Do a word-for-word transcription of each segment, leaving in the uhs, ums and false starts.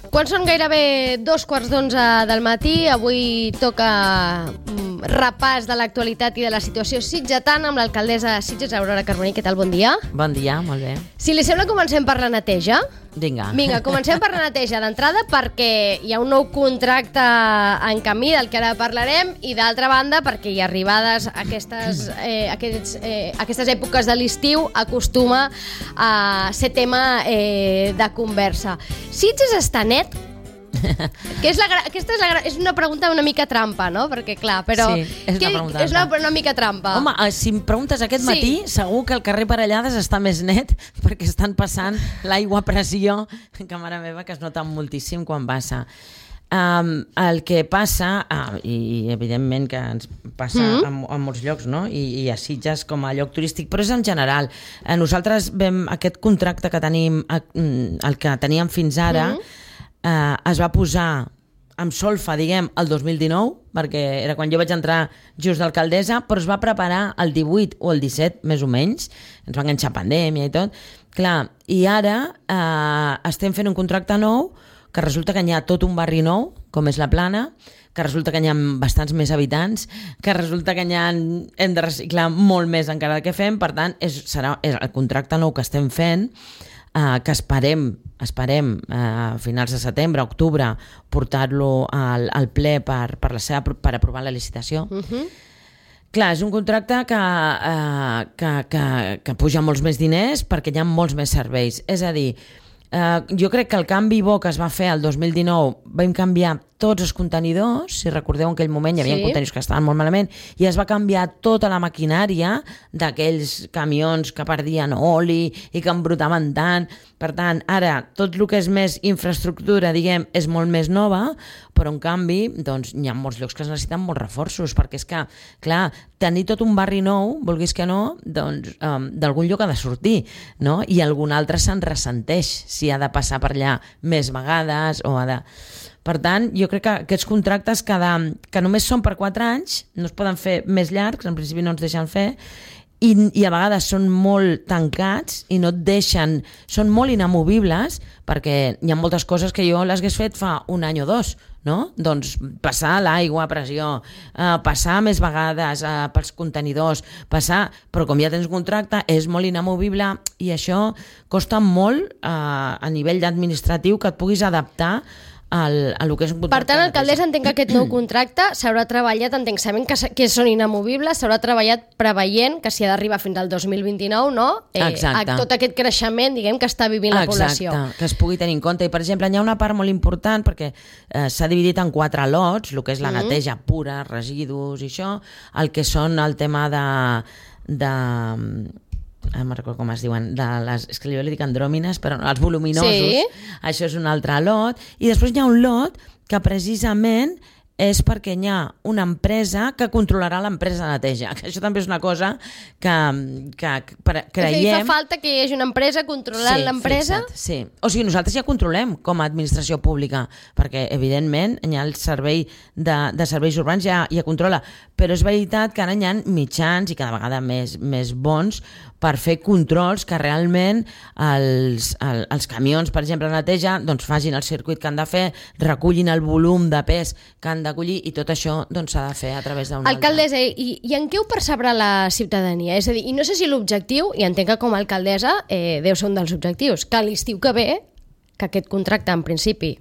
Quan són gairebé dos quarts d'onze del matí, avui toca repàs de l'actualitat i de la situació sitgetana amb l'alcaldessa de Sitges, Aurora Carboní. Què tal? Bon dia. Bon dia, molt bé. Si li sembla, comencem per la neteja. Vinga. Vinga, comencem per la neteja d'entrada perquè hi ha un nou contracte en camí del que ara parlarem i d'altra banda perquè hi arribades aquestes, eh, aquests, eh, aquestes èpoques de l'estiu acostuma a ser tema eh, de conversa. Sitges està net? Que és la, aquesta és, la, és una pregunta una mica trampa, no? Perquè clar, però... Sí, és una pregunta. És una, una mica trampa. Home, si em preguntes aquest sí. matí, segur que el carrer Parellades està més net perquè estan passant l'aigua a pressió, que mare meva, que es nota moltíssim quan passa. Um, el que passa, uh, i evidentment que ens passa mm-hmm. en, en molts llocs, no? I, i a Sitges com a lloc turístic, però és en general. Uh, nosaltres vam, aquest contracte que tenim, uh, el que teníem fins ara, mm-hmm. uh, es va posar amb solfa, diguem, el dos mil dinou, perquè era quan jo vaig entrar just d'alcaldessa, però es va preparar el divuit o el disset, més o menys. Ens va enganxar pandèmia i tot. Clar, i ara uh, estem fent un contracte nou que resulta que hi ha tot un barri nou, com és la Plana, que resulta que hi ha bastants més habitants, que resulta que hi ha, hem de reciclar molt més encara del que fem, per tant, és, serà és el contracte nou que estem fent, eh, que esperem, esperem eh, a finals de setembre, octubre, portar-lo al, al ple per, per, la seva, per aprovar la licitació. Uh-huh. Clar, és un contracte que, eh, que, que, que puja molts més diners perquè hi ha molts més serveis. És a dir, Uh, jo crec que el canvi bo que es va fer el dos mil dinou, vam canviar tots els contenidors, si recordeu en aquell moment hi havia sí. contenidors que estaven molt malament i es va canviar tota la maquinària d'aquells camions que perdien oli i que embrutaven tant. Per tant, ara tot el que és més infraestructura, diguem, és molt més nova, però en canvi doncs, hi ha molts llocs que es necessiten molts reforços, perquè és que, clar, tenir tot un barri nou, vulguis que no, doncs um, d'algun lloc ha de sortir, no? I algun altre se'n ressenteix si ha de passar per allà més vegades o ha de... Per tant, jo crec que aquests contractes cada, que només són per quatre anys, no es poden fer més llargs, en principi no ens deixen fer, i, i a vegades són molt tancats i no et deixen, són molt inamovibles, perquè hi ha moltes coses que jo les hagués fet fa un any o dos, no? Doncs passar l'aigua a pressió, eh, passar més vegades eh, pels contenidors, passar, però com ja tens contracte és molt inamovible i això costa molt eh, a nivell administratiu que et puguis adaptar al, a lo que és un contracte. Per tant, alcaldessa, entenc que aquest nou contracte s'haurà treballat, entenc, sabent que, que són inamovibles, s'haurà treballat preveient que si ha d'arribar fins al dos mil vint-i-nou, no? Eh, Exacte. A tot aquest creixement, diguem, que està vivint la població. Exacte, que es pugui tenir en compte. I, per exemple, hi ha una part molt important perquè eh, s'ha dividit en quatre lots, el que és la mm-hmm. neteja pura, residus i això, el que són el tema de... de no me'n recordo com es diuen, de les, és que jo li dic andròmines, però no, els voluminosos, sí. Això és un altre lot, i després hi ha un lot que precisament és perquè hi ha una empresa que controlarà l'empresa de neteja, que això també és una cosa que, que creiem... És a dir, fa falta que hi hagi una empresa controlant sí, l'empresa? Fixa't, sí, o sigui, nosaltres ja controlem com a administració pública, perquè evidentment hi ha el servei de, de serveis urbans, ja, ja controla, però és veritat que ara hi ha mitjans i cada vegada més, més bons per fer controls que realment els, el, els camions, per exemple, de neteja, doncs facin el circuit que han de fer, recullin el volum de pes que han d'acollir i tot això doncs, s'ha de fer a través d'un altre. Alcaldessa, i, i en què ho percebrà la ciutadania? És a dir, i no sé si l'objectiu, i entenc que com a alcaldessa eh, deu ser un dels objectius, que l'estiu que ve, que aquest contracte en principi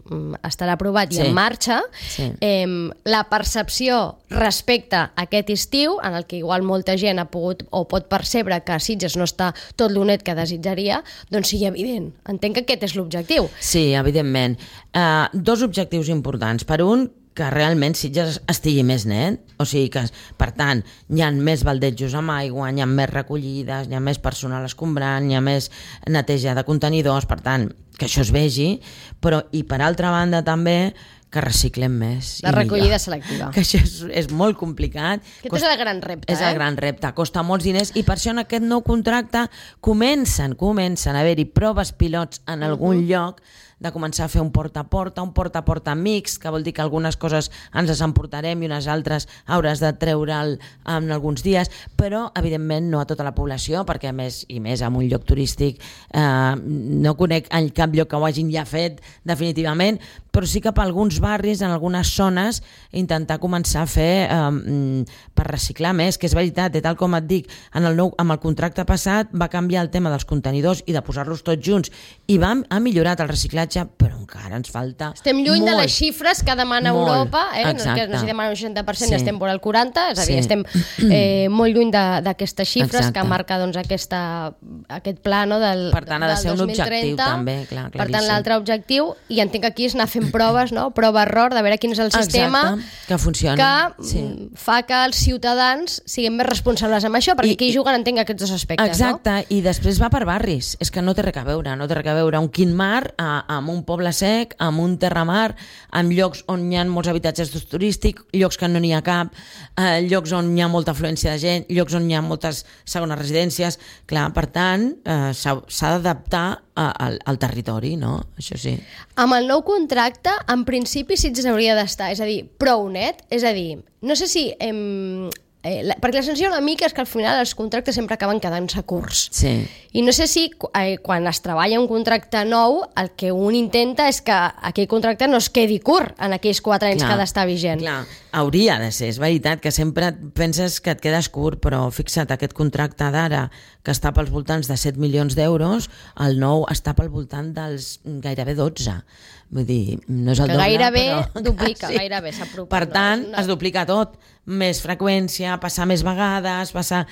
estarà aprovat i sí. en marxa, sí. eh, la percepció respecte a aquest estiu, en el que igual molta gent ha pogut o pot percebre que Sitges no està tot l'honet que desitjaria, doncs sigui evident. Entenc que aquest és l'objectiu. Sí, evidentment. Uh, dos objectius importants. Per un, que realment Sitges estigui més net, o sigui que, per tant, hi ha més baldejos amb aigua, hi ha més recollides, hi ha més personal escombrant, hi ha més neteja de contenidors, per tant, que això es vegi, però i per altra banda també que reciclem més. La recollida selectiva. Que això és, és molt complicat. Aquest Costa, és el gran repte. És el eh? gran repte, costa molts diners i per això en aquest nou contracte comencen, comencen a haver-hi proves pilots en algun uh -huh. lloc de començar a fer un porta a porta, un porta a porta mix, que vol dir que algunes coses ens les emportarem i unes altres hauràs de treure'l en alguns dies, però evidentment no a tota la població, perquè a més i més en un lloc turístic eh, no conec en cap lloc que ho hagin ja fet definitivament, però sí que per alguns barris, en algunes zones, intentar començar a fer eh, per reciclar més, que és veritat, i tal com et dic, en el nou, amb el contracte passat va canviar el tema dels contenidors i de posar-los tots junts i va, ha millorat el reciclatge, però encara ens falta estem lluny molt, de les xifres que demana molt, Europa, eh? Exacte. No, no si demana un seixanta per cent sí. i estem vora el quaranta, és a dir, sí. estem eh, molt lluny d'aquestes xifres exacte. Que marca doncs, aquesta, aquest pla no, del, per tant ha de del ser un dos mil trenta. objectiu també, clar, per tant l'altre objectiu, i entenc que aquí és anar fent proves, no? Prova-error, de veure quin és el sistema exacte. Que funciona que sí. fa que els ciutadans siguin més responsables amb això, perquè I, aquí hi juguen entenc aquests dos aspectes. Exacte, no? I després va per barris, és que no té res a veure, no té res a veure un Quintmar amb un poble sec, amb un terramar, amb llocs on hi ha molts habitatges turístics, llocs que no n'hi ha cap, eh, llocs on hi ha molta afluència de gent, llocs on hi ha moltes segones residències, clar, per tant eh, s'ha d'adaptar al, al territori, no? Això sí. Amb el nou contracte, en principi sí que s'hauria d'estar, és a dir, prou net, és a dir, no sé si... Em, eh, la, perquè la sensació una mica és que al final els contractes sempre acaben quedant-se curts. Sí. I no sé si eh, quan es treballa un contracte nou, el que un intenta és que aquell contracte no es quedi curt en aquells quatre anys clar, que ha d'estar vigent. Clar, hauria de ser, és veritat, que sempre penses que et quedes curt, però fixa't, aquest contracte d'ara, que està pels voltants de set milions d'euros, el nou està pel voltant dels gairebé dotze. Vull dir, no és el que doble, gairebé però... duplica, sí. gairebé s'apropa. Per tant, no, no. es duplica tot. Més freqüència, passar més vegades, passar...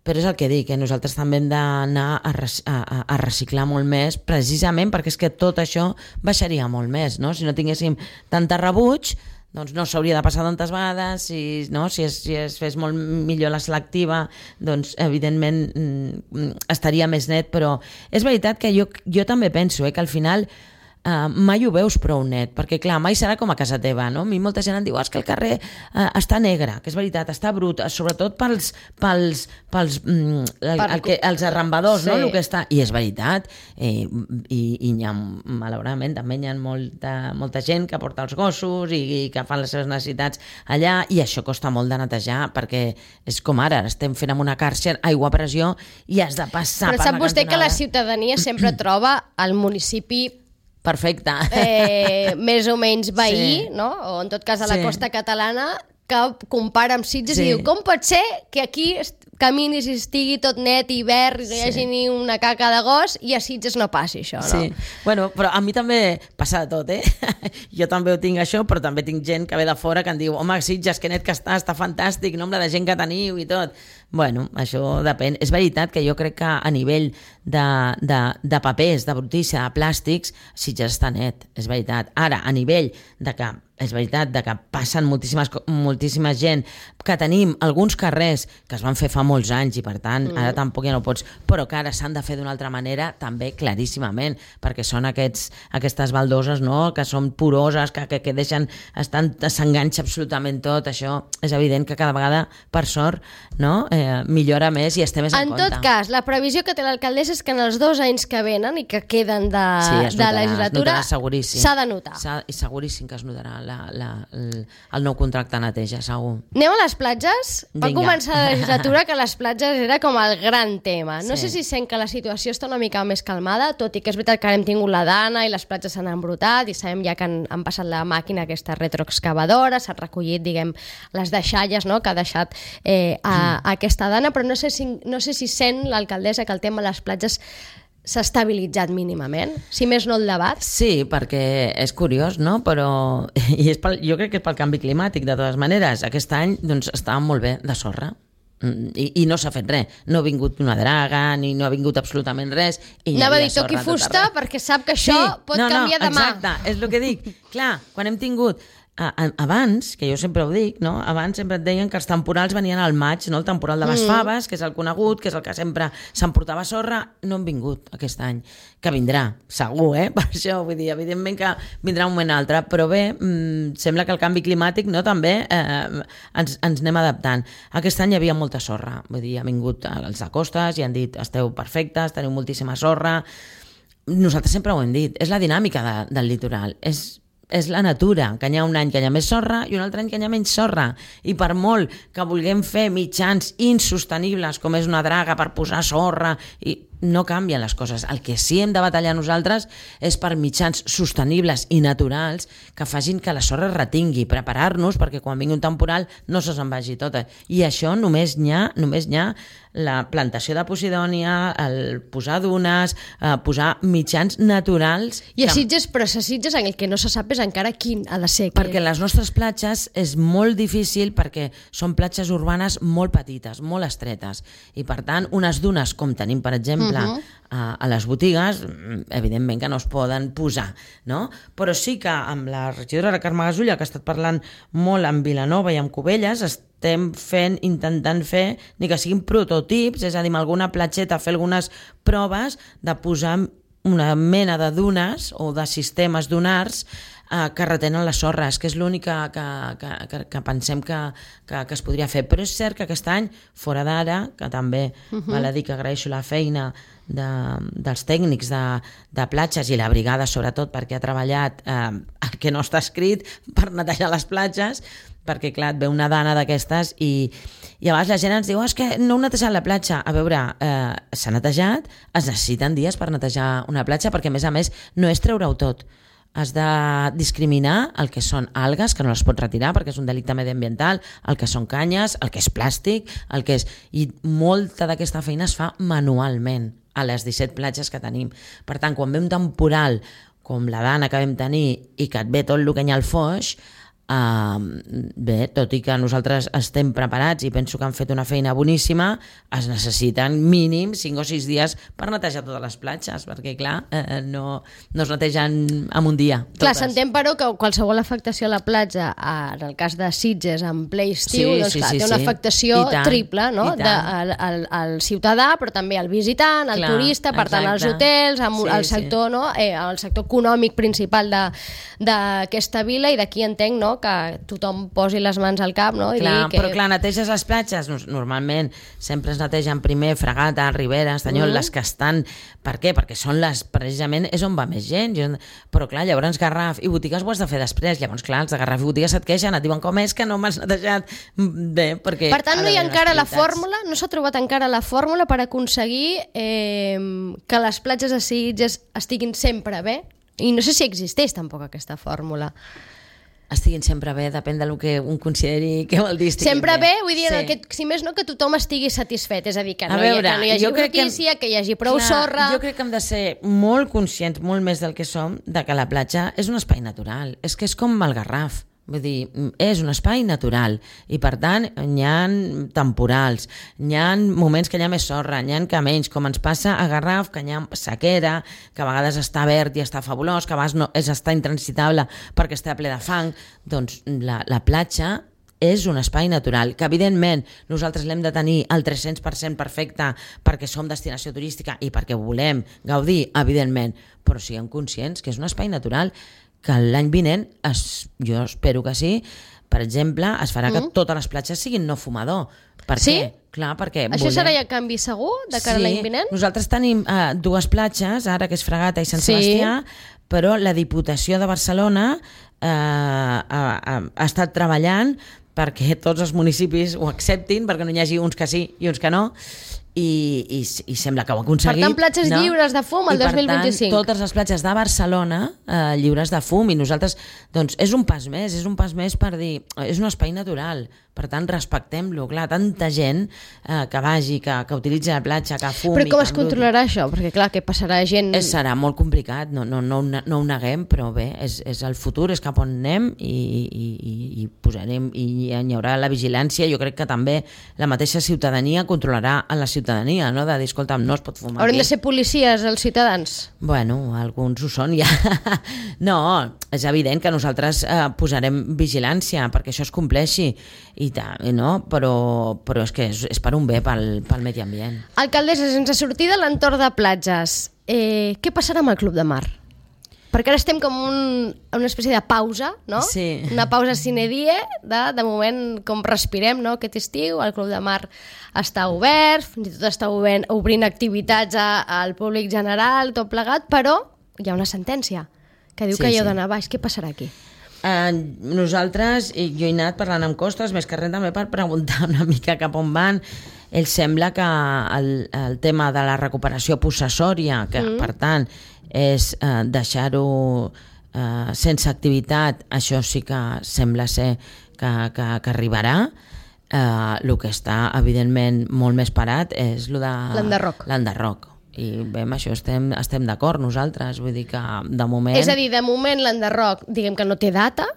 Però és el que dic, que nosaltres també hem d'anar a, a, a reciclar molt més, precisament perquè és que tot això baixaria molt més, no? Si no tinguéssim tanta rebuig, doncs no s'hauria de passar tantes vegades, si, no? si, es, si es fes molt millor la selectiva, doncs evidentment mm, estaria més net, però és veritat que jo, jo també penso eh, que al final Uh, mai ho veus prou net, perquè clar, mai serà com a casa teva, no? A mi molta gent em diu, oh, és que el carrer uh, està negre, que és veritat, està brut, sobretot pels, pels, pels mm, el, el que, els arrambadors, sí. no? El que està... I és veritat, eh, i, i hi ha, malauradament, també hi ha molta, molta gent que porta els gossos i, i que fan les seves necessitats allà, i això costa molt de netejar, perquè és com ara, estem fent amb una càrcer aigua a pressió i has de passar Però per sap la vostè cantonada. que la ciutadania sempre troba el municipi perfecte. Eh, més o menys veí, sí. no? O en tot cas a la sí. costa catalana, que compara amb Sitges sí. i diu, com pot ser que aquí caminis i estigui tot net i verd i no hi hagi sí. ni una caca de gos i a Sitges no passi això, no? Sí. Bueno, però a mi també passa de tot, eh? Jo també ho tinc això, però també tinc gent que ve de fora que em diu, home, Sitges, que net que està, està fantàstic, nombre de gent que teniu i tot. Bueno, això depèn. És veritat que jo crec que a nivell de, de, de papers, de brutícia, de plàstics, Sitges està net, és veritat. Ara, a nivell de que és veritat de que passen moltíssimes, moltíssima gent, que tenim alguns carrers que es van fer fa molts anys i per tant mm. ara tampoc ja no pots, però que ara s'han de fer d'una altra manera també claríssimament, perquè són aquests, aquestes baldoses, no? Que són poroses, que, que, que deixen, estan, s'enganxa absolutament tot, això és evident que cada vegada, per sort, no? eh, millora més i es té més en, en compte. En tot cas, la previsió que té l'alcaldessa és que en els dos anys que venen i que queden de, sí, es notarà, de legislatura s'ha de notar. I seguríssim que es notarà La, la, el, el nou contracte neteja, segur. Anem a les platges? Va Vinga. començar la legislatura que les platges era com el gran tema. No sí. sé si sent que la situació està una mica més calmada, tot i que és veritat que ara hem tingut la dana i les platges s'han embrutat i sabem ja que han, han passat la màquina aquesta retroexcavadora, s'han recollit, diguem, les deixalles, no?, que ha deixat eh, a, a aquesta dana, però no sé si, no sé si sent l'alcaldessa que el tema de les platges s'ha estabilitzat mínimament, si més no el debat. Sí, perquè és curiós, no? Però i és pel, jo crec que és pel canvi climàtic, de totes maneres. Aquest any doncs, estava molt bé de sorra i, i no s'ha fet res. No ha vingut una draga, ni no ha vingut absolutament res. I anava a dir toqui fusta perquè sap que això sí, pot no, canviar no, demà. Exacte, és el que dic. Clar, quan hem tingut abans, que jo sempre ho dic, no? Abans sempre et deien que els temporals venien al maig, no? El temporal de les mm. faves, que és el conegut, que és el que sempre s'emportava sorra, no han vingut aquest any, que vindrà, segur, eh? Per això, vull dir, evidentment que vindrà un moment altre, però bé, mmm, sembla que el canvi climàtic, no?, també eh, ens, ens anem adaptant. Aquest any hi havia molta sorra, vull dir, ha vingut els de costes i han dit, esteu perfectes, teniu moltíssima sorra. Nosaltres sempre ho hem dit, és la dinàmica de, del litoral, és és la natura, que hi ha un any que hi ha més sorra i un altre any que hi ha menys sorra, i per molt que vulguem fer mitjans insostenibles com és una draga per posar sorra, i no canvien les coses. El que sí hem de batallar nosaltres és per mitjans sostenibles i naturals que facin que la sorra es retingui, preparar-nos perquè quan vingui un temporal no se se'n vagi tota. I això només n'hi ha, només n'hi ha la plantació de posidònia, el posar dunes, eh, posar mitjans naturals. I a Sitges, però a Sitges el que no se sap és encara quin ha de ser. Perquè les nostres platges és molt difícil perquè són platges urbanes molt petites, molt estretes, i per tant unes dunes com tenim per exemple Uh-huh. a, a les botigues, evidentment que no es poden posar, no? Però sí que amb la regidora Carme Gasulla, que ha estat parlant molt amb Vilanova i amb Cubelles, estem fent, intentant fer, ni que siguin prototips, és a dir, amb alguna platgeta fer algunes proves de posar una mena de dunes o de sistemes dunars eh, que retenen les sorres, que és l'únic que, que, que, que pensem que, que, que es podria fer. Però és cert que aquest any, fora d'ara, que també uh-huh. val a dir que agraeixo la feina de, dels tècnics de, de platges i la brigada sobretot perquè ha treballat eh, el que no està escrit per netejar les platges, perquè clar, et ve una dana d'aquestes i, i a vegades la gent ens diu oh, és que no heu netejat la platja. A veure, eh, s'ha netejat, es necessiten dies per netejar una platja perquè a més a més no és treure-ho tot. Has de discriminar el que són algues, que no les pots retirar perquè és un delicte mediambiental, el que són canyes, el que és plàstic, el que és... I molta d'aquesta feina es fa manualment a les disset platges que tenim. Per tant, quan ve un temporal com la dana que vam tenir i que et ve tot el que hi ha al foix, Uh, bé, tot i que nosaltres estem preparats i penso que han fet una feina boníssima, es necessiten mínim cinc o sis dies per netejar totes les platges, perquè clar, eh, no, no es netegen en un dia totes. Clar, s'entén però que qualsevol afectació a la platja, en el cas de Sitges en ple estiu, sí, doncs sí, clar, sí, té una sí. afectació triple, no? De, al, al, al ciutadà, però també al visitant, al clar, turista, per exacte. Tant als hotels, amb, sí, al sector, sí. no? eh, el sector econòmic principal d'aquesta vila, i d'aquí entenc, no?, que tothom posi les mans al cap, no? I clar, que... però clar, neteges les platges, normalment sempre es netegen primer Fragata, Ribera, Estanyol, mm. les que estan... Per què? Perquè són les, precisament, és on va més gent. Però clar, llavors Garraf i botigues ho has de fer després. Llavors, clar, els de Garraf i botigues se't queixen, et diuen com és que no m'has netejat bé, perquè... Per tant, no hi ha encara la fórmula, no s'ha trobat encara la fórmula per aconseguir eh, que les platges de Sitges estiguin sempre bé. I no sé si existeix tampoc aquesta fórmula. Estiguin sempre bé, depèn del que un consideri que vol dir sempre bé. bé, vull dir, sí. que, si més no, que tothom estigui satisfet, és a dir, que no, veure, hi, que no hi hagi brutícia, que, que hi hagi prou clar, sorra... Jo crec que hem de ser molt conscients, molt més del que som, de que la platja és un espai natural, és que és com el Garraf. Vull dir, és un espai natural i per tant hi ha temporals, hi ha moments que hi ha més sorra, hi ha que menys, com ens passa a Garraf, que hi ha sequera, que a vegades està verd i està fabulós, que a vegades no, és està intransitable perquè està ple de fang. Doncs la, la platja és un espai natural, que evidentment nosaltres l'hem de tenir al tres-cents per cent perfecte perquè som destinació turística i perquè volem gaudir, evidentment, però siguem conscients que és un espai natural, que l'any vinent, es, jo espero que sí, per exemple, es farà mm. que totes les platges siguin no fumador. Per sí? què? Clar, perquè això volem... serà ja canvi segur de cara sí, a l'any vinent? Nosaltres tenim uh, dues platges, ara que és Fragata i Sant sí. Sebastià, però la Diputació de Barcelona uh, ha, ha, ha estat treballant perquè tots els municipis ho acceptin, perquè no hi hagi uns que sí i uns que no, i, i, i sembla que ho ha aconseguit. Per tant, platges no? lliures de fum el dos mil vint-i-cinc. I per tant, totes les platges de Barcelona eh, lliures de fum, i nosaltres, doncs, és un pas més, és un pas més per dir, és un espai natural, per tant, respectem-lo. Clar, tanta gent eh, que vagi, que, que utilitzi la platja, que fumi... Però com es controlarà això? Perquè, clar, que passarà gent... És, serà molt complicat, no, no, no, no ho neguem, però bé, és, és el futur, és cap on anem, i, i, i, i posarem, i hi haurà la vigilància. Jo crec que també la mateixa ciutadania controlarà a la ciutadania ciutadania, no? De dir, escolta, no es pot fumar Haurem aquí. de ser policies els ciutadans? Bueno, alguns ho són ja. No, és evident que nosaltres eh, posarem vigilància perquè això es compleixi, i ta, no? però, però és que és, és per un bé pel, pel medi ambient. Alcaldessa, sense sortir de l'entorn de platges, eh, què passarà amb el Club de Mar? Perquè ara estem com un, una espècie de pausa, no? Sí. Una pausa sine die, de, de moment com respirem, no? Aquest estiu, el Club de Mar està obert, fins i tot està obrint, obrint activitats a, al públic general, tot plegat, però hi ha una sentència que diu Sí, que hi heu sí. d'anar baix. Què passarà aquí? Uh, nosaltres, i jo he anat parlant amb Costes, més que res també per preguntar una mica cap on van. Ell sembla que el, el tema de la recuperació possessòria, que mm. per tant és uh, deixar-ho uh, sense activitat, això sí que sembla ser que, que, que arribarà. Uh, el que està evidentment molt més parat és lo de L'enderroc. l'enderroc. I bé, amb això estem, estem d'acord nosaltres, vull dir que de moment... És a dir, de moment l'enderroc, diguem que no té data.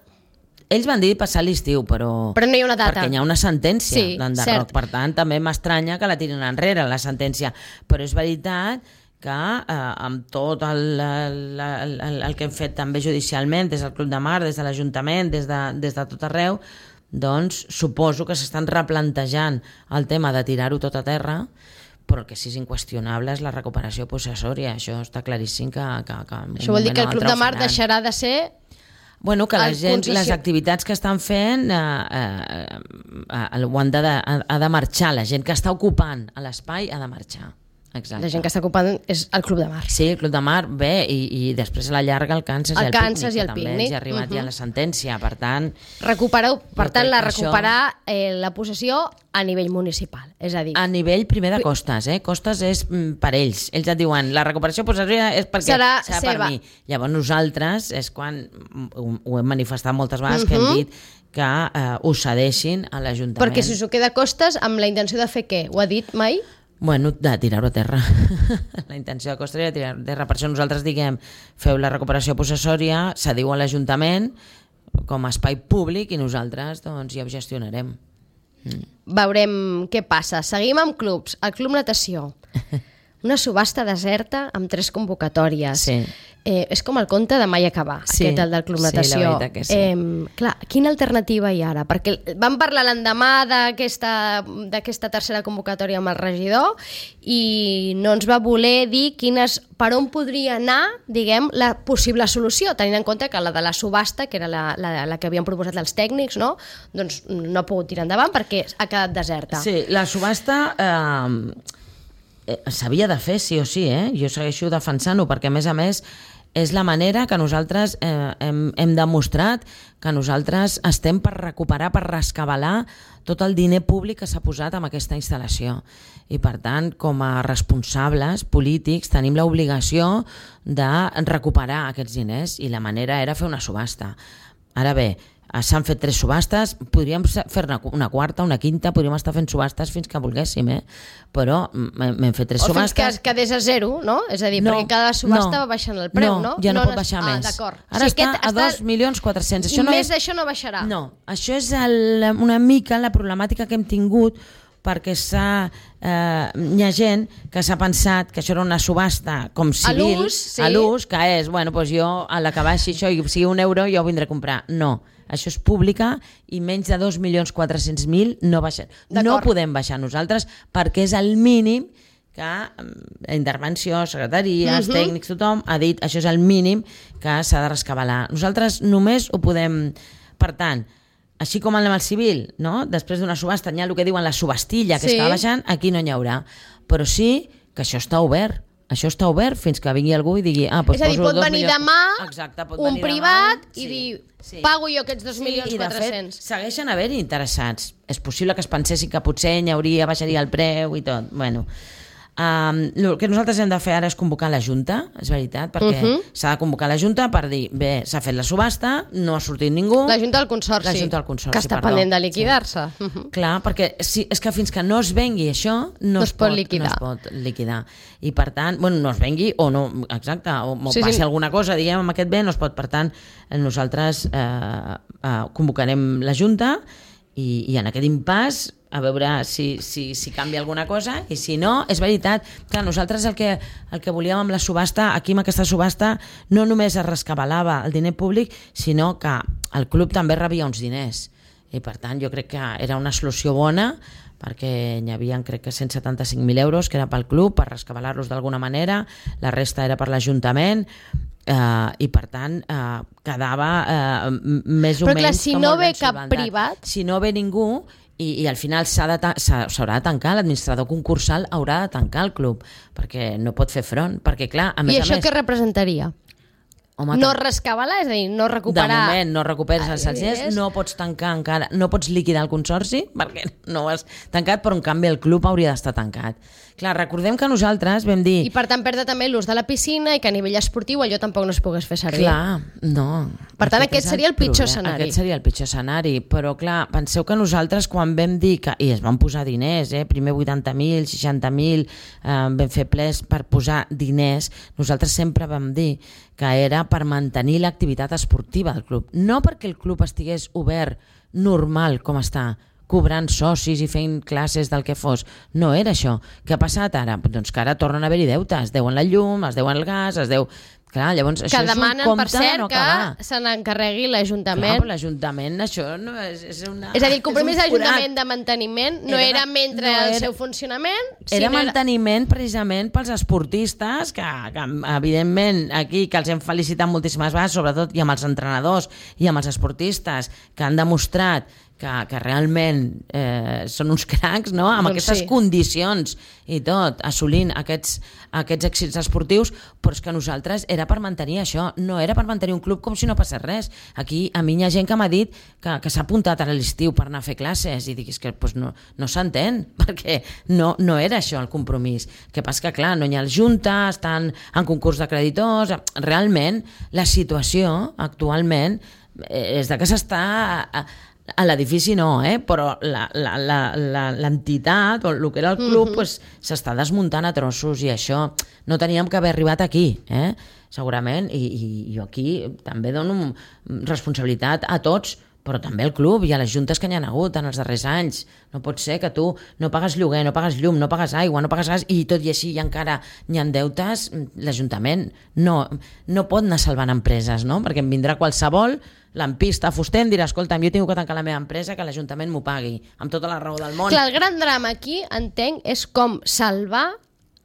Ells van dir passar l'estiu, però... Però no hi ha una data. Perquè hi ha una sentència Sí, d'enderroc. cert. Per tant, també m'estranya que la tirin enrere, la sentència. Però és veritat que eh, amb tot el, el, el, el que hem fet també judicialment, des del Club de Mar, des de l'Ajuntament, des, de, des de tot arreu, doncs suposo que s'estan replantejant el tema de tirar-ho tot a terra, però el que sí és inqüestionable és la recuperació possessòria. Això està claríssim que... que, que Això vol dir que el Club de Mar deixarà de ser... Bueno, que la el gent, concessi- les activitats que estan fent eh, eh, eh, ho han de, ha, ha de marxar. La gent que està ocupant l'espai ha de marxar. Exacte. La gent que està ocupant és el Club de Mar. Sí, el Club de Mar, bé, i, i després a la llarga el Kansas El i el Kansas Pícnic, i el que també Pícnic. els hi ha arribat Mhm. ja la sentència, per tant... Recupereu, per Jo tant, crec la que això- recuperar eh, la possessió a nivell municipal. És a dir, A nivell primer de Costes, eh? Costes és mm, per ells. Ells et diuen, la recuperació possessoria és perquè Serà serà seva. per mi. Llavors nosaltres és quan mm, ho, ho hem manifestat moltes vegades, que hem dit que eh, ho cedeixin a l'Ajuntament. perquè si us ho queda a costes, amb la intenció de fer què? Ho ha dit mai? Bueno, de tirar-ho a terra. La intenció de Costes era tirar-ho a terra. Per això nosaltres diguem, feu la recuperació possessòria, cediu a l'Ajuntament com a espai públic i nosaltres doncs ja ho gestionarem. Veurem què passa. Seguim amb clubs. El Club Natació. Una subhasta deserta amb tres convocatòries. Sí. Eh, és com el conte de mai acabar, Sí, aquest, el del Club sí, la Natació. veritat que sí. Eh, clar, quina alternativa hi ha ara? Perquè vam parlar l'endemà d'aquesta d'aquesta tercera convocatòria amb el regidor i no ens va voler dir quines, per on podria anar, diguem, la possible solució, tenint en compte que la de la subhasta, que era la, la, la que havien proposat els tècnics, no? Doncs no ha pogut tirar endavant perquè ha quedat deserta. Sí, la subhasta eh, eh, s'havia de fer sí o sí, eh? Jo segueixo defensant-ho perquè a més a més és la manera que nosaltres eh, hem, hem demostrat que nosaltres estem per recuperar, per rescabalar tot el diner públic que s'ha posat en aquesta instal·lació. I per tant, com a responsables polítics, tenim l'obligació de recuperar aquests diners i la manera era fer una subhasta. Ara bé, s'han fet tres subhastes, podríem fer-ne una quarta, una quinta, podríem estar fent subhastes fins que volguéssim, eh? Però m'hem fet tres o fins subhastes... que quedés a zero, no? És a dir, No, perquè cada subhasta no, va baixant el preu, no? No, ja no, pot nes- baixar ah, més. D'acord. Ara O sigui, està aquest a dos milions quatre-cents. Això no Més és... d'això no baixarà. No, això és el, una mica la problemàtica que hem tingut perquè s'ha, eh, hi ha gent que s'ha pensat que això era una subhasta com civil, l'ús, sí. a l'ús, que és, bueno, doncs jo a la que baixi això i sigui un euro jo ho vindré a comprar. No, això és pública i menys de dos milions quatre-cents mil no baixen. No D'acord. podem baixar nosaltres perquè és el mínim que mm, intervenció, secretaria, els Mhm. tècnics, tothom ha dit això és el mínim que s'ha de rescabalar. Nosaltres només ho podem... Per tant, així com en el civil, no? Després d'una subhasta hi ha el que diuen la subhastilla, que Sí. es va baixant, aquí no n'hi haurà. Però sí que això està obert. Això està obert fins que vingui algú i digui... Ah, doncs És a dir, poso pot dos venir milions... demà Exacte, pot un venir privat demà, i sí, dir, sí. pago jo aquests dos milions i de quatre-cents. fet segueixen haver-hi interessats. És possible que es pensessin que potser n'hi hauria, baixaria el preu i tot. Bueno, um, el que nosaltres hem de fer ara és convocar la Junta, és veritat, perquè Mhm. s'ha de convocar la Junta per dir, bé, s'ha fet la subhasta, no ha sortit ningú... La Junta del Consorci, La Junta del Consorci, que està perdó. pendent de liquidar-se. Mhm. Clar, perquè si, és que fins que no es vengui això no, No es, es pot pot, liquidar. no es pot liquidar. I per tant, bueno, no es vengui o no, exacte, o, o Sí, passi sí. alguna cosa, diguem, amb aquest bé no es pot. Per tant, nosaltres eh, eh, convocarem la Junta i, i en aquest impàs a veure si, si, si canvia alguna cosa, i si no, és veritat. Clar, nosaltres el que, el que volíem amb la subhasta, aquí amb aquesta subhasta, no només es rescabalava el diner públic, sinó que el club també rebia uns diners. I per tant jo crec que era una solució bona, perquè hi havia crec que cent setanta-cinc mil euros que era pel club, per rescabalar-los d'alguna manera, la resta era per l'Ajuntament, Uh, i per tant uh, quedava uh, més o però clar, menys si com no molt ve ben cap solventat. privat, si no ve ningú i, i al final s'ha de ta- s'ha- s'haurà de tancar, l'administrador concursal haurà de tancar el club perquè no pot fer front, perquè clar, a més i això a més, què representaria? home, No tan- rescabalar, és a dir, no de recuperar... moment no recuperes els Ai, diners, és- no pots tancar encara, no pots liquidar el consorci perquè no ho has tancat, però en canvi el club hauria d'estar tancat. Clar, recordem que nosaltres vam dir... I per tant perdre també l'ús de la piscina i que a nivell esportiu allò tampoc no es pogués fer servir. Clar, no. Per tant, aquest és seria el pitjor problema. escenari. Aquest seria el pitjor escenari, però clar, penseu que nosaltres quan vam dir que, i es van posar diners, eh, primer vuitanta mil, seixanta mil, eh, vam fer plens per posar diners, nosaltres sempre vam dir que era per mantenir l'activitat esportiva del club, no perquè el club estigués obert normal com està, cobrant socis i fent classes del que fos. No era això. Què ha passat ara? Doncs que ara tornen a haver-hi deutes. Es deuen la llum, es deuen el gas, es deu... Clar, llavors Que això és un demanen, compte per cert, de no que acabar. se n'encarregui Clar, l'Ajuntament. però l'Ajuntament, això no és, és una... És a dir, el compromís de és un forat. l'Ajuntament de manteniment no Era era, de- mentre no el era- seu funcionament, Era sinó manteniment precisament pels esportistes, que, que evidentment aquí que els hem felicitat moltíssimes vegades, sobretot i amb els entrenadors i amb els esportistes que han demostrat que, que realment eh, són uns cracs, no? Amb Doncs aquestes sí. condicions i tot, assolint aquests, aquests èxits esportius, però és que nosaltres era per mantenir això, no era per mantenir un club com si no passés res. Aquí a mi hi ha gent que m'ha dit que, que s'ha apuntat a l'estiu per anar a fer classes i dic, és que pues, no, no s'entén, perquè no, no era això el compromís. Que passa que, clar, no hi ha el Junta, estan en concurs de creditors, realment la situació actualment eh, és de que s'està... A, a l'edifici no, eh? Però la- la- la- la- l'entitat o el que era el club pues, s'està desmuntant a trossos i això no teníem que haver arribat aquí, eh? Segurament, i, i jo aquí també dono responsabilitat a tots, però també al club i a les juntes que hi ha hagut en els darrers anys. No pot ser que tu no pagues lloguer, no pagues llum, no pagues aigua, no pagues gas i tot i així i encara hi ha deutes. L'Ajuntament no, no pot anar salvant empreses, no? Perquè em vindrà qualsevol lampista, fuster, em dirà, escolta, jo tinc que tancar la meva empresa, que l'Ajuntament m'ho pagui, amb tota la raó del món. Clar, el gran drama aquí, entenc, és com salvar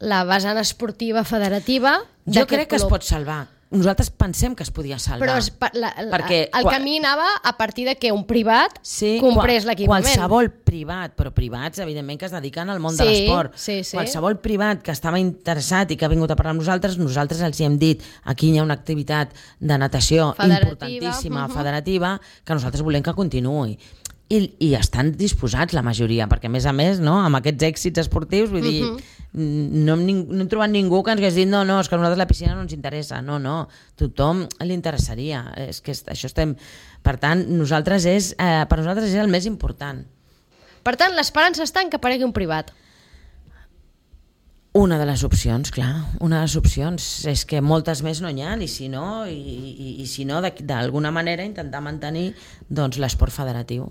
la vessant esportiva federativa Jo d'aquest crec que es club. pot salvar. Nosaltres pensem que es podia salvar. Però es, pa- la, la, Perquè el quan- camí anava a partir de que un privat Sí, comprés qual- l'equipament. Qualsevol privat, però privats, evidentment, que es dediquen al món Sí, de l'esport. sí, sí. Qualsevol privat que estava interessat i que ha vingut a parlar amb nosaltres, nosaltres els hi hem dit, aquí hi ha una activitat de natació Federativa, importantíssima, mhm. federativa, que nosaltres volem que continuï. I, i estan disposats la majoria, perquè a més a més, no, amb aquests èxits esportius, vull dir, no, hem, ning- no hem trobat ningú que ens hagués dit no, no, és que a nosaltres la piscina no ens interessa. No, no, tothom li interessaria. És que est- això estem... Per tant, nosaltres és, eh, per nosaltres és el més important. Per tant, l'esperança està en que aparegui un privat. Una de les opcions, clar, una de les opcions és que moltes més no n'hi ha, i si no, i, i, i si no, de- d'alguna manera intentar mantenir doncs, l'esport federatiu.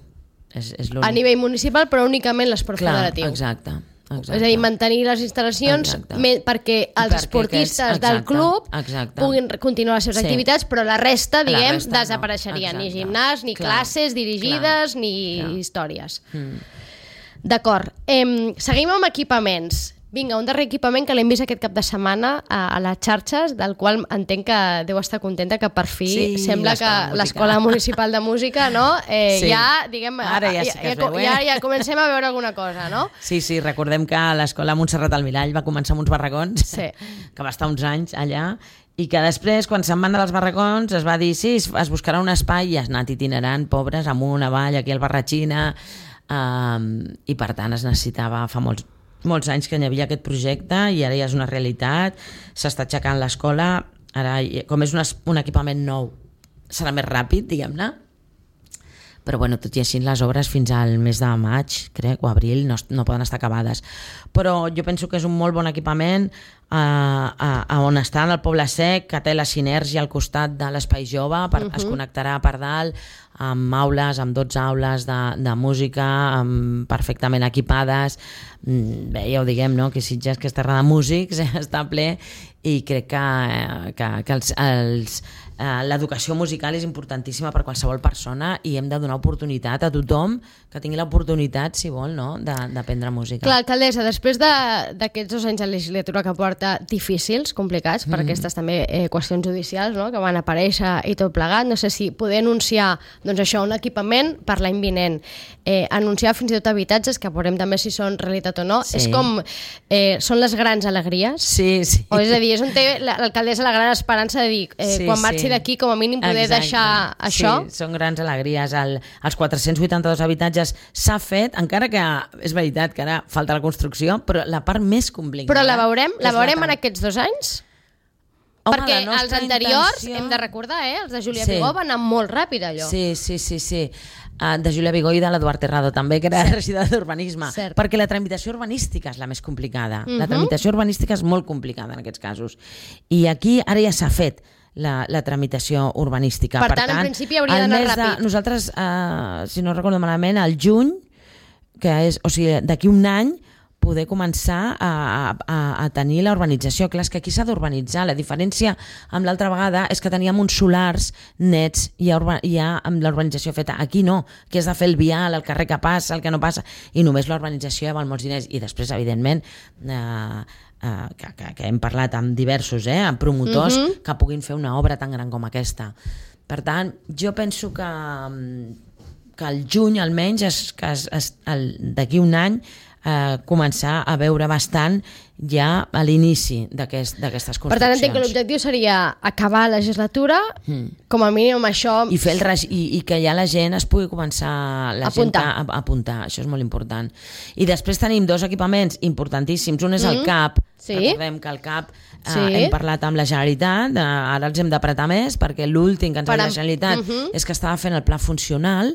És, és l'únic. A nivell municipal, però únicament l'esport Clar, federatiu. Exacte, exacte. És a dir, mantenir les instal·lacions Exacte. me, perquè els Perquè esportistes aquests- del exacte, club exacte. puguin continuar les seves Sí. activitats, però la resta, La diguem, resta no. desapareixeria. Ni Exacte. gimnàs, ni Clar, classes dirigides, clar, ni clar. històries. Mm. D'acord. Em, seguim amb equipaments. Vinga, un darrer equipament que l'hem vist aquest cap de setmana a, a les xarxes, del qual entenc que deu estar contenta, que per fi Sí, sembla que l'Escola de Música. l'Escola Municipal de Música, no? Eh, Sí. ja, diguem, Ara ja sí que ja, es veu, eh? ja, ja comencem a veure alguna cosa, no? Sí, sí, recordem que l'escola Montserrat al Mirall va començar amb uns barracons, Sí. que va estar uns anys allà, i que després, quan se'n van dels barracons, es va dir, sí, es es buscarà un espai, i has anat itinerant, pobres, amunt, avall, aquí al Barratxina, um, i per tant es necessitava fa molts, molts anys que hi havia aquest projecte, i ara ja és una realitat, s'està aixecant l'escola, ara, hi- com és un, es- un equipament nou, serà més ràpid, diguem-ne, però bueno, tot i així les obres fins al mes de maig, crec, o abril, no, no poden estar acabades. Però jo penso que és un molt bon equipament, a, a, a on està el Poble Sec, que té la sinergia al costat de l'Espai Jove, per, uh-huh. es connectarà per dalt, amb aules, amb dotze aules de, de música, amb, perfectament equipades. Bé, ja ho diguem, no? Que Sitges, que és terra de músics, està ple, i crec que, que, que els, els, eh, l'educació musical és importantíssima per qualsevol persona i hem de donar oportunitat a tothom que tingui l'oportunitat, si vol, no? d'aprendre música. Clar, alcaldessa, després d'aquests dos anys de legislatura que porta difícils, complicats, per mm. aquestes també eh, qüestions judicials, no? Que van aparèixer i tot plegat, no sé si poder anunciar doncs això, un equipament per l'any vinent, eh, anunciar fins i tot habitatges, que veurem també si són realitat o no, sí. És com, eh, són les grans alegries, sí, sí. O és a dir, és on té l'alcaldessa la gran esperança de dir, eh, sí, quan marxi sí. d'aquí com a mínim poder Exacte. deixar això. Sí, són grans alegries. El, els quatre-cents vuitanta-dos habitatges s'ha fet, encara que és veritat que ara falta la construcció, però la part més complicada... Però la veurem, la veurem la en aquests dos anys? Home, perquè els anteriors, intenció... hem de recordar, eh, els de Júlia sí. Vigó van anar molt ràpid allò. Sí, sí, sí, sí. Uh, de Júlia Vigó i de l'Eduard Terrado també, que era regidor d'urbanisme, perquè la tramitació urbanística és la més complicada. Uh-huh. La tramitació urbanística és molt complicada en aquests casos. I aquí ara ja s'ha fet la, la tramitació urbanística. Per, per tant, tant, en principi hauria d'anar ràpid. De, nosaltres, uh, si no recordo malament, al juny, que és, o sigui, d'aquí un any, poder començar a, a, a tenir la urbanització. Clar, és que aquí s'ha d'urbanitzar. La diferència amb l'altra vegada és que teníem uns solars nets i ja, urba, ja amb l'urbanització feta. Aquí no, que és de fer el vial, el carrer que passa, el que no passa, i només la urbanització ja val molts diners. I després, evidentment, eh, eh, que, que, que hem parlat amb diversos, eh, amb promotors, uh-huh. que puguin fer una obra tan gran com aquesta. Per tant, jo penso que, que el juny almenys, es, que es, es, d'aquí un any, Eh, començar a veure bastant ja a l'inici d'aquest, d'aquestes construccions. Per tant, entenc que l'objectiu seria acabar la legislatura, mm. com a mínim amb això... I, fer el reg... I, i que ja la gent es pugui començar la apuntar. Gent a, a apuntar, això és molt important. I després tenim dos equipaments importantíssims. Un és el mm. CAP, sí. Recordem que el CAP eh, sí. hem parlat amb la Generalitat, eh, ara els hem d'apretar més, perquè l'últim que ens ha dit la Generalitat uh-huh. és que estava fent el pla funcional.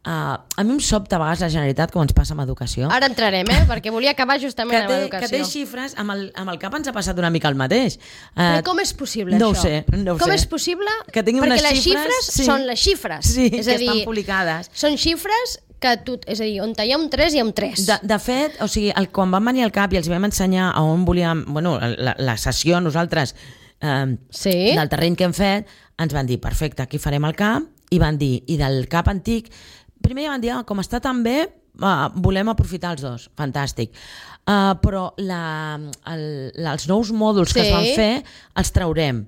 Uh, a mi em sobta a vegades la Generalitat com ens passa amb educació. Ara entrarem, eh? Perquè volia acabar justament té, amb educació. Que té xifres, amb el, amb el CAP ens ha passat una mica el mateix. Uh, Però com és possible no això? Ho sé, no ho com sé. és possible? Que tinguin perquè unes les xifres, xifres sí. són les xifres. Sí, és que a dir, estan publicades. Són xifres que tu, és a dir, on hi ha un tres hi ha un tres. De, de fet, o sigui, el, quan vam venir al CAP i els vam ensenyar a on volíem, bueno, la, la sessió nosaltres eh, sí. del terreny que hem fet, ens van dir, perfecte, aquí farem el CAP, i van dir, i del CAP antic primer ja van dir, ah, com està tan bé, uh, volem aprofitar els dos, fantàstic. Uh, però la, el, els nous mòduls sí. que es van fer els traurem.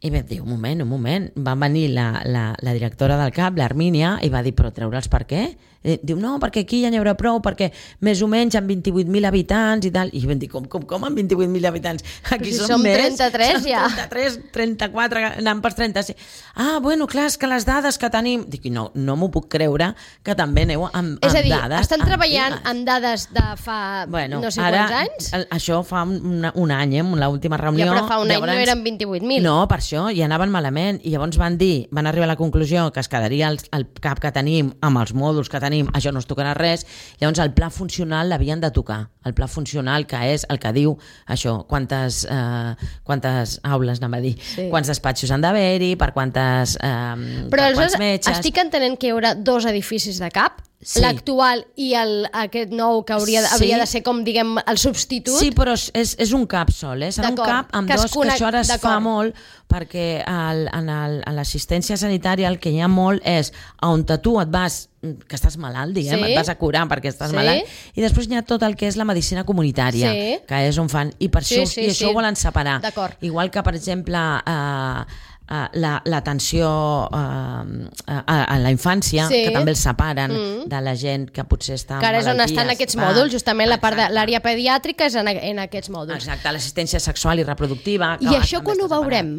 I vam dir, un moment, un moment. Va venir la, la, la directora del CAP, l'Armínia, i va dir, però treure'ls per què? I diu, no, perquè aquí ja n'hi haurà prou, perquè més o menys amb vint-i-vuit mil habitants i tal. I vam dir, com, com, com amb vint-i-vuit mil habitants? Aquí si som, som més. trenta-tres som ja. trenta-tres, trenta-quatre, anem per trenta-cinc. Ah, bueno, clar, és que les dades que tenim... Dic, no, no m'ho puc creure que també aneu amb, amb és a dir, dades... estan treballant antigues. amb dades de fa bueno, no sé ara, quants anys? El, això fa un, un any, eh, l'última reunió... Ja, però fa un any llavors, no eren vint-i-vuit mil. No, per això, i anaven malament. I llavors van dir, van arribar a la conclusió que es quedaria el, el CAP que tenim amb els mòduls que tenim, això no es tocarà res. Llavors el pla funcional l'havien de tocar. El pla funcional, que és el que diu això, quantes, eh, quantes aules, anem a dir, sí. quants despatxos han d'haver-hi, per quantes eh, però per quants metges... estic entenent que hi haurà dos edificis de CAP, sí. l'actual i el, aquest nou que hauria, sí. hauria de ser com, diguem, el substitut. Sí, però és, és un CAP sol, eh? Serà un CAP amb que dos, conec... que això ara es fa molt, perquè el, en, el, en l'assistència sanitària el que hi ha molt és on tu et vas, que estàs malalt, diguem, sí. et vas a curar perquè estàs sí. malalt, i després hi ha tot el que és la medicina comunitària, sí. que és on fan, i per sí, això, sí, i això sí. ho volen separar. Igual que, per exemple, eh, Uh, l'atenció la, uh, a, a la infància, sí. que també els separen mm. de la gent que potser està amb malalties. Que ara és on estan aquests mòduls, justament ah, la part de l'àrea pediàtrica és en, en aquests mòduls. Exacte, l'assistència sexual i reproductiva. I això quan ho veurem?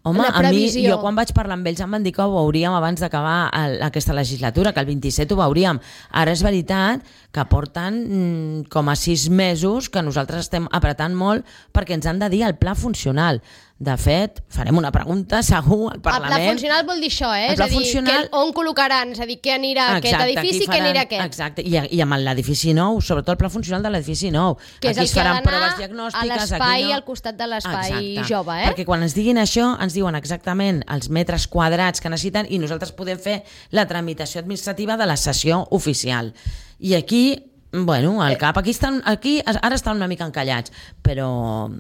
Home, a mi, jo quan vaig parlar amb ells em van dir que ho veuríem abans d'acabar aquesta legislatura, que el vint-i-set ho veuríem. Ara és veritat que porten mm, com a sis mesos que nosaltres estem apretant molt perquè ens han de dir el pla funcional. De fet, farem una pregunta segur al Parlament. El pla funcional vol dir això, eh? El És pla a dir, funcional... que on col·locaran, és a dir, què anirà a aquest edifici i què anirà a aquest. Exacte, i, i amb l'edifici nou, sobretot el pla funcional de l'edifici nou. Que és aquí el que ha d'anar a l'espai, no... al costat de l'espai Exacte. Jove, eh? Perquè quan ens diguin això, ens diuen exactament els metres quadrats que necessiten i nosaltres podem fer la tramitació administrativa de la sessió oficial. I aquí... Bueno, al cap, aquí, estan, aquí ara estan una mica encallats, però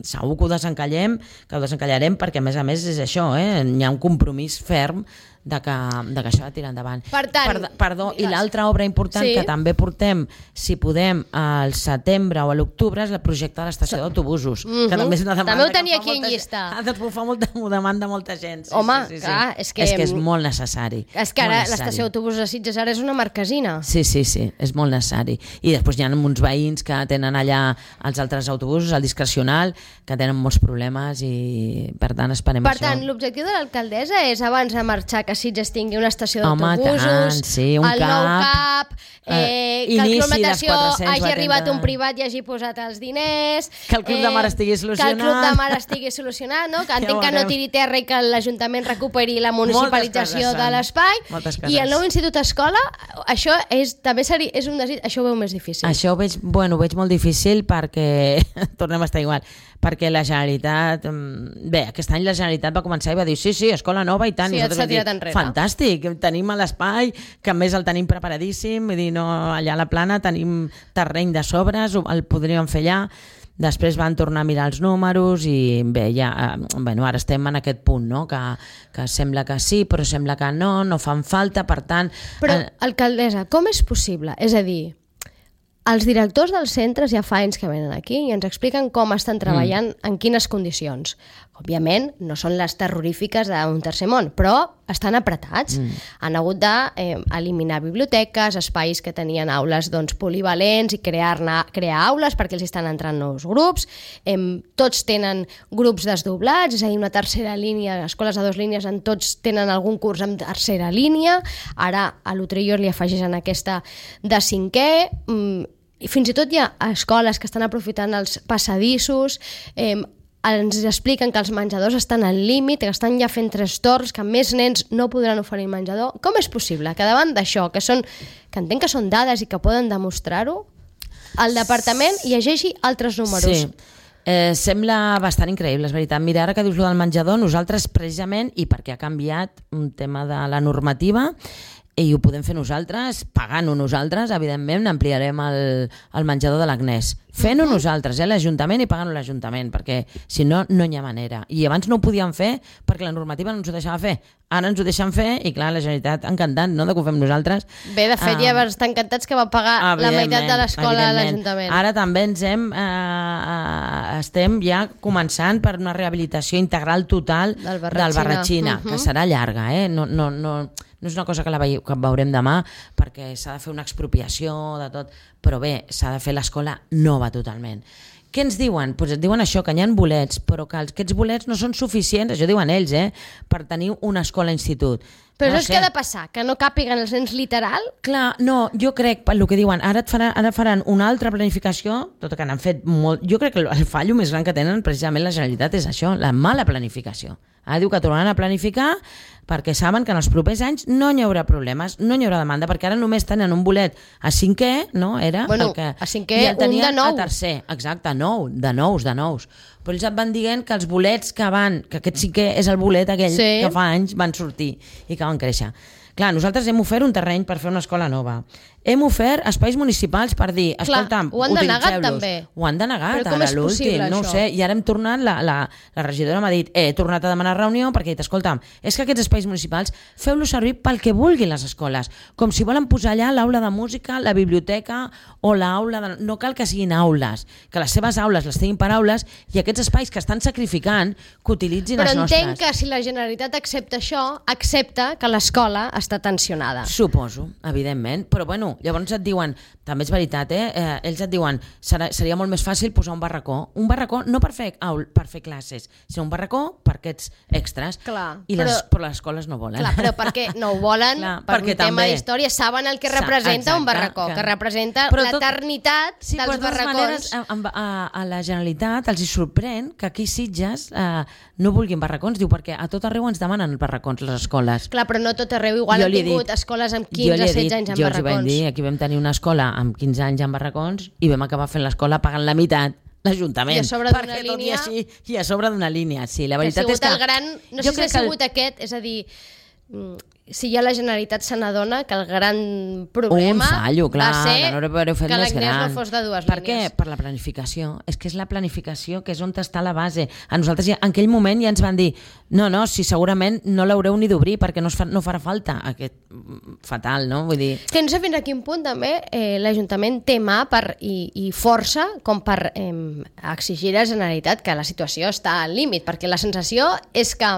segur que ho desencallem, que ho desencallarem perquè a més a més és això, eh? Hi ha un compromís ferm de que, de que això ha de tirar endavant. Per tant, per, perdó, i l'altra obra important sí. que també portem, si podem, al setembre o a l'octubre, és el projecte de l'estació d'autobusos, mm-hmm. que també és una demanda. També ho tenia aquí en llista. Ah, doncs ho fa molta, ho demanda molta gent. Sí, Home, sí, sí, sí. clar, és que... És que és molt necessari. És que ara l'estació d'autobusos de Sitges ara és una marquesina. Sí, sí, sí, és molt necessari. I després hi ha uns veïns que tenen allà els altres autobusos, el discrecional, que tenen molts problemes i per tant esperem per això. Per tant, l'objectiu de l'alcaldessa és abans de marxar que Sitges tingui una estació Home, d'autobusos, sí, un el cap, nou cap, eh, que el Club Natació hagi arribat un privat i hagi posat els diners, que el Club eh, de Mar estigui solucionat, que el Club de Mar estigui solucionat, no? que entenc ja que no tiri terra i que l'Ajuntament recuperi la municipalització de l'espai, i el nou Institut Escola, això és, també seria, és un desig, això ho veu més difícil. Això ho veig, bueno, ho veig molt difícil perquè, tornem a estar igual, perquè la Generalitat, bé, aquest any la Generalitat va començar i va dir sí, sí, escola nova i tant, sí, i nosaltres vam dir, enrere. Fantàstic, tenim l'espai, que a més el tenim preparadíssim, vull dir, no, allà a la plana tenim terreny de sobres, el podríem fer allà, després van tornar a mirar els números i bé, ja, bueno, ara estem en aquest punt, no? que, que sembla que sí, però sembla que no, no fan falta, per tant... Però, alcaldessa, com és possible? És a dir, els directors dels centres ja fa anys que venen aquí i ens expliquen com estan treballant, mm. en quines condicions. Òbviament, no són les terrorífiques d'un tercer món, però estan apretats. Mm. Han hagut d'eliminar eh, biblioteques, espais que tenien aules doncs, polivalents i crear-ne crear aules perquè els estan entrant nous grups. Eh, tots tenen grups desdoblats, és a dir, una tercera línia, escoles de dues línies, en tots tenen algun curs en tercera línia. Ara a l'Utrillor li afegeixen aquesta de cinquè. Mm, i fins i tot hi ha escoles que estan aprofitant els passadissos, eh, ens expliquen que els menjadors estan al límit, que estan ja fent tres torns, que més nens no podran oferir menjador. Com és possible que davant d'això, que, són, que entenc que són dades i que poden demostrar-ho, el departament llegeixi altres números? Sí. Eh, sembla bastant increïble, és veritat. Mira, ara que dius lo del menjador, nosaltres precisament, i perquè ha canviat un tema de la normativa, i ho podem fer nosaltres, pagant-ho nosaltres, evidentment ampliarem el, el menjador de l'Agnès. Fent-ho nosaltres, eh, l'Ajuntament, i pagant-ho l'Ajuntament, perquè si no, no hi ha manera. I abans no ho podíem fer perquè la normativa no ens ho deixava fer. Ara ens ho deixen fer i, clar, la Generalitat encantant, no?, de que ho fem nosaltres. Bé, de fet, um, ja estan encantats que va pagar la meitat de l'escola a l'Ajuntament. Ara també ens hem, eh, estem ja començant per una rehabilitació integral total del Barratxina, del Barratxina uh-huh. que serà llarga, eh? No, no, no, no és una cosa que la veieu, que veurem demà, perquè s'ha de fer una expropiació de tot, però bé, s'ha de fer l'escola nova totalment. Què ens diuen? Pues et diuen això, que hi ha bolets, però que aquests bolets no són suficients, això diuen ells, eh, per tenir una escola-institut. Però no això és sé. Que ha de passar, que no càpiguen els nens literal? Clar, no, jo crec, pel que diuen, ara, et faran, ara faran una altra planificació, tot que n'han fet molt... Jo crec que el fallo més gran que tenen precisament la Generalitat és això, la mala planificació. Ara diu que tornaran a planificar perquè saben que en els propers anys no hi haurà problemes, no hi haurà demanda, perquè ara només tenen un bolet a cinquè, no? Era bueno, el que... a cinquè, un de nou. A tercer, exacte, nou, de nous, de nous. Però ells et van dient que els bolets que van, que aquest cinquè és el bolet aquell sí. que fa anys van sortir i que van créixer. Clar, nosaltres hem ofert un terreny per fer una escola nova. Hem ofert espais municipals per dir, escolta'm, ho han denegat també. Ho han denegat, però com ara és l'últim, possible, no ho sé. I ara hem tornat, la, la, la regidora m'ha dit, eh, he tornat a demanar reunió perquè he dit, escolta'm, és que aquests espais municipals feu-los servir pel que vulguin les escoles, com si volen posar allà l'aula de música, la biblioteca o l'aula, de... no cal que siguin aules, que les seves aules les tinguin per aules i aquests espais que estan sacrificant que utilitzin però els nostres. Però entenc que si la Generalitat accepta això, accepta que l'escola està tensionada. Suposo, evidentment, però bueno, llavors et diuen també és veritat, eh? eh ells et diuen serà, seria molt més fàcil posar un barracó. Un barracó no per fer, aul, per fer classes, sinó un barracó per aquests extras. Clar, I les, però, però les escoles no volen. Clar, però perquè no ho volen, clar, per un tema també, d'història, saben el que representa exacte, un barracó, que, que representa l'eternitat sí, dels barracons. Maneres, a, a, a la Generalitat els hi sorprèn que aquí Sitges eh, no vulguin barracons, diu, perquè a tot arreu ens demanen barracons les escoles. Clar, però no tot arreu, igual jo han tingut dit, escoles amb quinze setze anys amb jo barracons. Jo els vam dir, aquí vam tenir una escola amb quinze anys amb barracons i vam acabar fent l'escola pagant la meitat l'Ajuntament. I a sobre d'una línia... I, així, I a sobre d'una línia, sí. La veritat que és que... El gran, no sé si ha sigut el... aquest, és a dir, si ja la Generalitat se n'adona que el gran problema un fallo, clar, va ser no fet que l'anglès no fos de dues per línies. Per què? Per la planificació. És que és la planificació que és on està la base. A nosaltres ja, en aquell moment ja ens van dir no, no, si segurament no l'haureu ni d'obrir perquè no, es fa, no farà falta. Aquest fatal, no? Vull dir... Que no sé fins a quin punt també eh, l'Ajuntament té mà per, i, i força com per eh, exigir a la Generalitat que la situació està al límit, perquè la sensació és que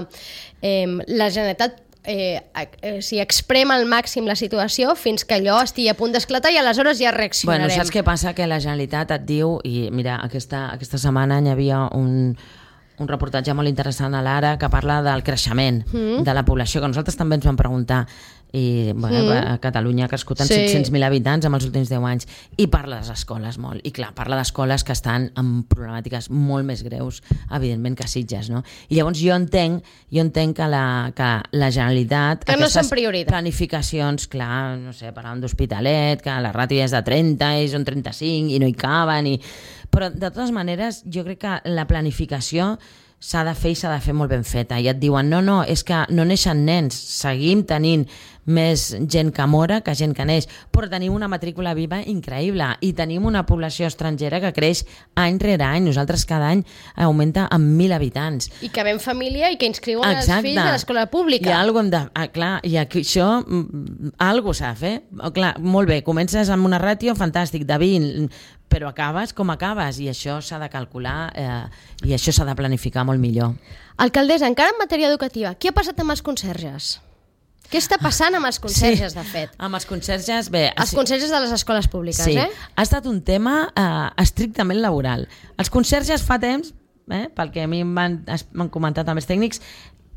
eh, la Generalitat Eh, eh, si exprema al màxim la situació fins que allò estigui a punt d'esclatar i aleshores ja reaccionarem. Bueno, saps què passa? Que la Generalitat et diu, i mira, aquesta, aquesta setmana hi havia un, un reportatge molt interessant a l'Ara que parla del creixement mm. de la població, que nosaltres també ens vam preguntar, i bueno, mm. a Catalunya ha crescut en sí. set-cents mil habitants en els últims deu anys, i parla de les escoles molt, i clar, parla d'escoles que estan amb problemàtiques molt més greus evidentment que Sitges, no? I llavors jo entenc jo entenc que la, que la Generalitat que no són prioritat. Planificacions, clar, no sé, parlàvem d'Hospitalet, que la ràtio és de trenta i són trenta-cinc i no hi caben, i... però de totes maneres jo crec que la planificació s'ha de fer i s'ha de fer molt ben feta, i et diuen no, no, és que no neixen nens, seguim tenint més gent que mora que gent que neix, però tenim una matrícula viva increïble i tenim una població estrangera que creix any rere any. Nosaltres cada any augmenta en mil habitants. I que ven família i que inscriuen Exacte. Els fills a l'escola pública. I algo hem de... Ah, clar, i aquí això algo s'ha de fer. Clar, molt bé, comences amb una ràtio fantàstic de vint, però acabes com acabes, i això s'ha de calcular eh, i això s'ha de planificar molt millor. Alcaldessa, encara en matèria educativa, què ha passat amb els conserges? Què està passant amb els conserges, sí, de fet? Amb els conserges, bé... Els conserges de les escoles públiques, sí, eh? Ha estat un tema eh, estrictament laboral. Els conserges fa temps, eh, pel que a mi m'han comentat també els tècnics,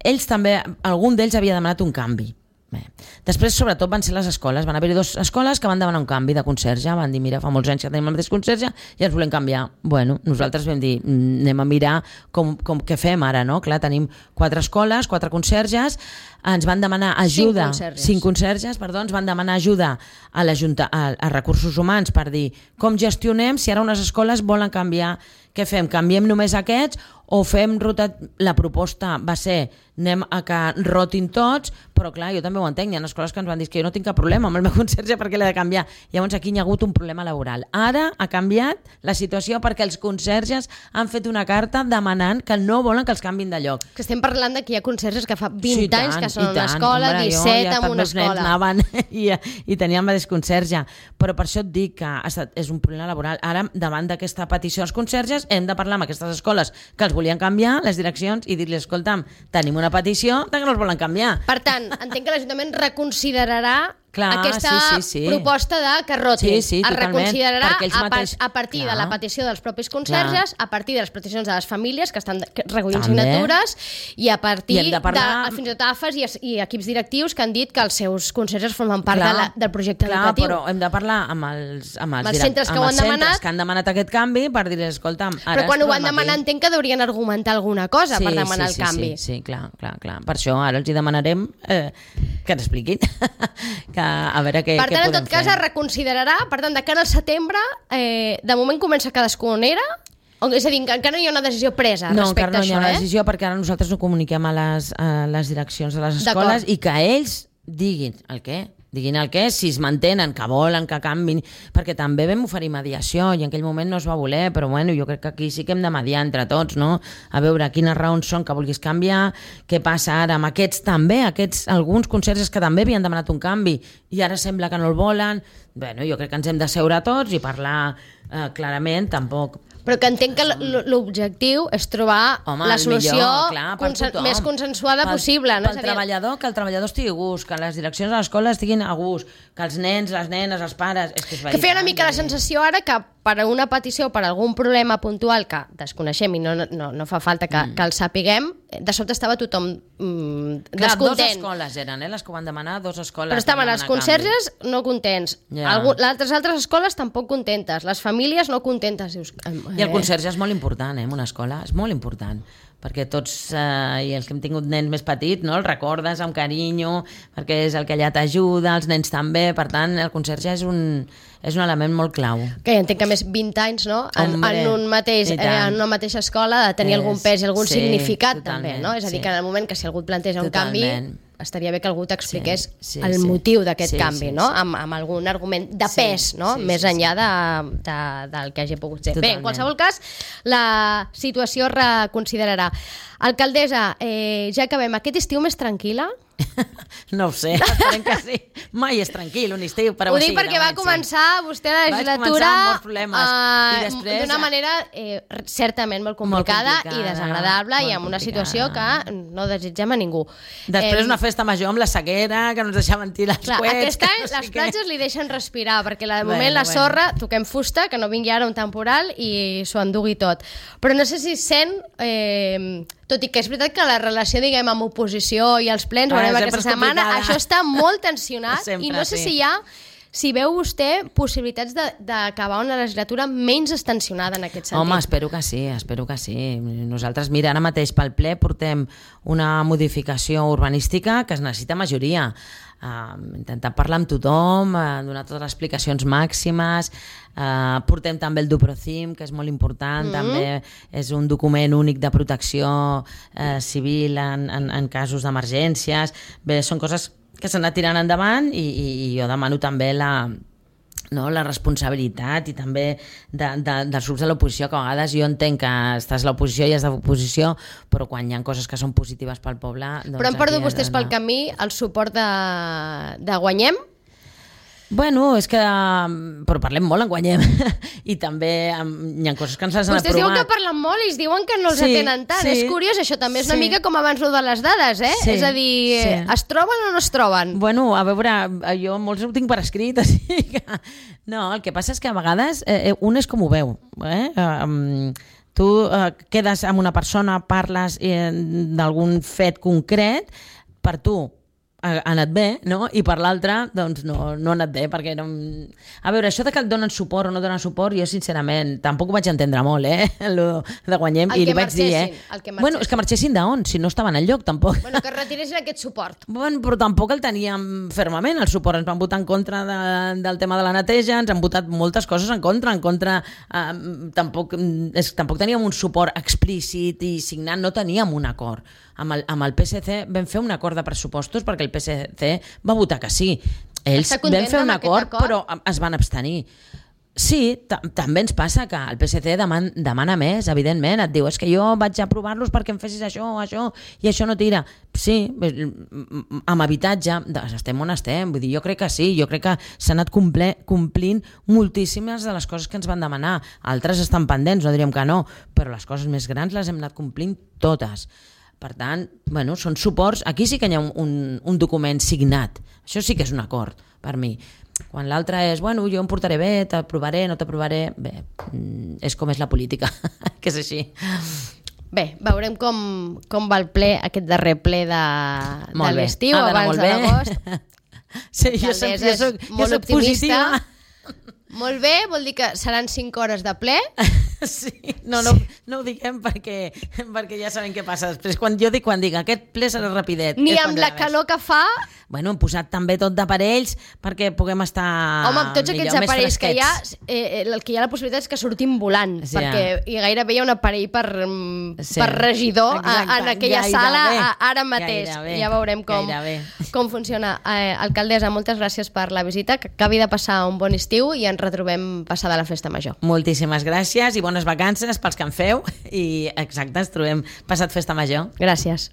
ells també, algun d'ells havia demanat un canvi. Bé. Després, sobretot, van ser les escoles. Van haver-hi dues escoles que van demanar un canvi de conserge. Van dir, mira, fa molts anys que tenim el mateix conserge i ens volem canviar. Bueno, nosaltres vam dir, anem a mirar com, com què fem ara, no? Clar, tenim quatre escoles, quatre conserges, ens van demanar ajuda... Cinc conserges. Cinc conserges, perdó, ens van demanar ajuda a, a, a recursos humans per dir com gestionem si ara unes escoles volen canviar. Què fem? Canviem només aquests o fem rotat... La proposta va ser anem a que rotin tots, però clar, jo també ho entenc, hi ha escoles que ens van dir que jo no tinc cap problema amb el meu conserge perquè l'he de canviar. Llavors aquí hi ha hagut un problema laboral. Ara ha canviat la situació perquè els conserges han fet una carta demanant que no volen que els canvin de lloc. Que estem parlant de que hi ha conserges que fa vint sí, tant, anys que són en una escola, Hombre, disset ja en una escola. Anaven i, i tenien el mateix conserge. Però per això et dic que ha estat, és un problema laboral. Ara, davant d'aquesta petició dels conserges, hem de parlar amb aquestes escoles que els volien canviar, les direccions, i dir-li, escolta'm, tenim una petició de que no els volen canviar. Per tant, entenc que l'Ajuntament reconsiderarà Clar, aquesta sí, sí, sí. proposta de que rotin. Sí, sí, es reconsiderarà a, mateix... a partir Clar. de la petició dels propis conserges, Clar. A partir de les peticions de les famílies que estan recollint També. Signatures i a partir I de, parlar... de fins i tot A F A s i, i equips directius que han dit que els seus conserges formen part Clar. de la, del projecte Clar, educatiu. Però hem de parlar amb els, amb els, amb els centres que amb ho han els demanat, que han demanat aquest canvi per dir-los, escolta'm, ara però quan ho van demanar entenc que deurien argumentar alguna cosa sí, per demanar sí, sí, el canvi. Sí, sí, clar, clar, clar. Per això ara els hi demanarem eh, que ens expliquin que, a veure què, per què tant, en podem tot cas, fer. es reconsiderarà, per tant, de cara al setembre, eh, de moment comença cadascunera, és a dir, encara no hi ha una decisió presa no, respecte a això, no, encara no hi ha una eh? decisió perquè ara nosaltres ho comuniquem a les, a les direccions de les escoles i que ells diguin el què. Diguin el què, si es mantenen, que volen, que canvin, perquè també vam oferir mediació i en aquell moment no es va voler, però bueno, jo crec que aquí sí que hem de mediar entre tots, no? A veure quines raons són que vulguis canviar, què passa ara amb aquests també, aquests alguns conserges que també havien demanat un canvi i ara sembla que no el volen. Bueno, jo crec que ens hem d'asseure tots i parlar eh, clarament, tampoc... Però que entenc que l- l'objectiu és trobar Home, la el solució millor, clar, per consen tothom. més consensuada Pel- possible. No? Pel És a dir, treballador, que el treballador estigui a gust, que les direccions de l'escola estiguin a gust, que els nens, les nenes, els pares... És que, és que feia una veritat, mica la vull dir. sensació ara que per una petició, per algun problema puntual que desconeixem i no, no, no fa falta que, mm. que el sapiguem, de sobte estava tothom mm, Clar, dos descontent. escoles eren, eh, les que ho van demanar, dos escoles. Però estaven van els demanar conserges no contents, Ja. Algú, les altres, altres escoles tampoc contentes, les famílies no contentes. Dius, eh, canvi. I el conserge és molt important, eh, en una escola, és molt important, perquè tots, eh, i els que hem tingut nens més petits, no, els recordes amb carinyo, perquè és el que allà t'ajuda, els nens també, per tant, el conserge és un, és un element molt clau. Que ja entenc que més vint anys, no? En, Hombre, en, un mateix, i eh, tant. en una mateixa escola de tenir És- algun pes i algun sí, significat totalment, també, no? És a dir, sí. que en el moment que si algú et planteja un Totalment. canvi, estaria bé que algú t'expliqués Sí, sí, el sí. motiu d'aquest Sí, canvi, sí, no? sí. Amb, amb algun argument de Sí, pes, no? sí, Més sí, enllà de, de, del que hagi pogut ser. Bé, Totalment. en qualsevol cas, la situació es reconsiderarà. Alcaldessa, eh, ja acabem. Aquest estiu més tranquil·la? No ho sé, esperem que sí. Mai és tranquil, un estiu, però Ho dic perquè va començar vostè la Vaig legislatura començar amb molts problemes. I eh, després- d'una manera eh, certament molt complicada, Molt complicada, i desagradable i molt amb una complicada. situació que no desitgem a ningú. Després Em, una festa major amb la sequera, que no ens deixaven tirar els Clar, coets. aquest que any no sé les què. platges li deixen respirar, perquè la- de moment Bueno, la bueno. sorra, toquem fusta, que no vingui ara un temporal i s'ho endugui tot. Però no sé si sent, eh, tot i que és veritat que la relació, diguem, amb oposició i els plens, ho Ah, veurem sempre aquesta és setmana, complicada. això està molt tensionat Sempre, i no sé sí. si hi ha si veu vostè possibilitats de- d'acabar una legislatura menys estensionada en aquest sentit. Home, espero que sí, espero que sí. Nosaltres, mira, ara mateix pel ple portem una modificació urbanística que es necessita majoria. Uh, intentar parlar amb tothom, uh, donar totes les explicacions màximes, uh, portem també el Duprocim, que és molt important, mm-hmm. també és un document únic de protecció uh, civil en, en, en casos d'emergències. Bé, són coses que s'han anat tirant endavant i, i, i jo demano també la, no, la responsabilitat i també de, de, dels grups de l'oposició, que a vegades jo entenc que estàs a l'oposició i has d'oposició, però quan hi ha coses que són positives pel poble... Doncs Però han perdut aquí has vostès d'anar. pel camí el suport de, de Guanyem? Bueno, és que... Però parlem molt en Guanyem. I també um, hi ha coses que ens les han Vostès diuen que aprovat. parlen molt i es diuen que no els Sí, atenen tant. sí. És curiós, això també és una Sí. mica com abans lo de les dades, eh? Sí, És a dir, sí. es troben o no es troben? Bueno, a veure, jo molts ho tinc per escrit, així que... No, el que passa és que a vegades eh, un és com ho veu, eh? Um, tu eh, quedes amb una persona, parles eh, d'algun fet concret, per tu ha ha anat bé, no? I per l'altre, doncs no, no ha anat bé, perquè no... A veure, això de que et donen suport o no donen suport, jo sincerament tampoc ho vaig entendre molt, eh? Lo de Guanyem, El i que li vaig dir, eh? marxessin, el que Bueno, és que marxessin d'on? Si no estaven enlloc, tampoc. Bueno, que retiressin aquest suport. Bueno, però tampoc el teníem fermament, el suport. Ens van votar en contra de, del tema de la neteja, ens han votat moltes coses en contra, en contra... Eh, tampoc, és, tampoc teníem un suport explícit i signat, no teníem un acord. Amb el, amb el P S C vam fer un acord de pressupostos perquè el P S C va votar que sí. Ells Està content vam fer un amb aquest acord, acord? però es van abstenir. Sí, ta- també ens passa que el P S C deman, demana més, evidentment. Et diu, és que jo vaig aprovar-los perquè em fessis això, això, i això no tira. Sí, amb habitatge, doncs estem on estem. Vull dir, jo crec que sí, jo crec que s'han anat comple, complint moltíssimes de les coses que ens van demanar. Altres estan pendents, no diríem que no, però les coses més grans les hem anat complint totes. Per tant, bueno, són suports. Aquí sí que hi ha un, un, un document signat. Això sí que és un acord, per mi. Quan l'altre és, bueno, jo em portaré bé, t'aprovaré, no t'aprovaré... Bé, és com és la política, que és així. Bé, veurem com, com va el ple, aquest darrer ple de, de Molt bé. l'estiu, Ha d'anar abans molt de bé. l'agost. Sí, jo, sempre, L'alcaldessa jo soc, és jo molt soc optimista. positiva. Molt bé, vol dir que seran cinc hores de ple. Sí, no, no, no ho diguem perquè, perquè ja sabem què passa després. Quan jo dic, quan dic, aquest ple serà rapidet. Ni és amb quan la serà més. calor que fa. Bueno, hem posat també tot d'aparells perquè puguem estar Home, amb tots aquests millor, més aparells que hi ha, fresquets. eh, el que hi ha la possibilitat és que sortim volant, Sí, perquè hi gairebé hi ha un aparell per, mm, Sí, per regidor a, exacte, en aquella gairebé, sala a, ara mateix. gairebé, ja veurem com, gairebé. com funciona. Eh, alcaldessa, moltes gràcies per la visita, que acabi de passar un bon estiu i ens retrobem passada la festa major. Moltíssimes gràcies i bones vacances pels que en feu i exacte, ens trobem passat festa major. Gràcies.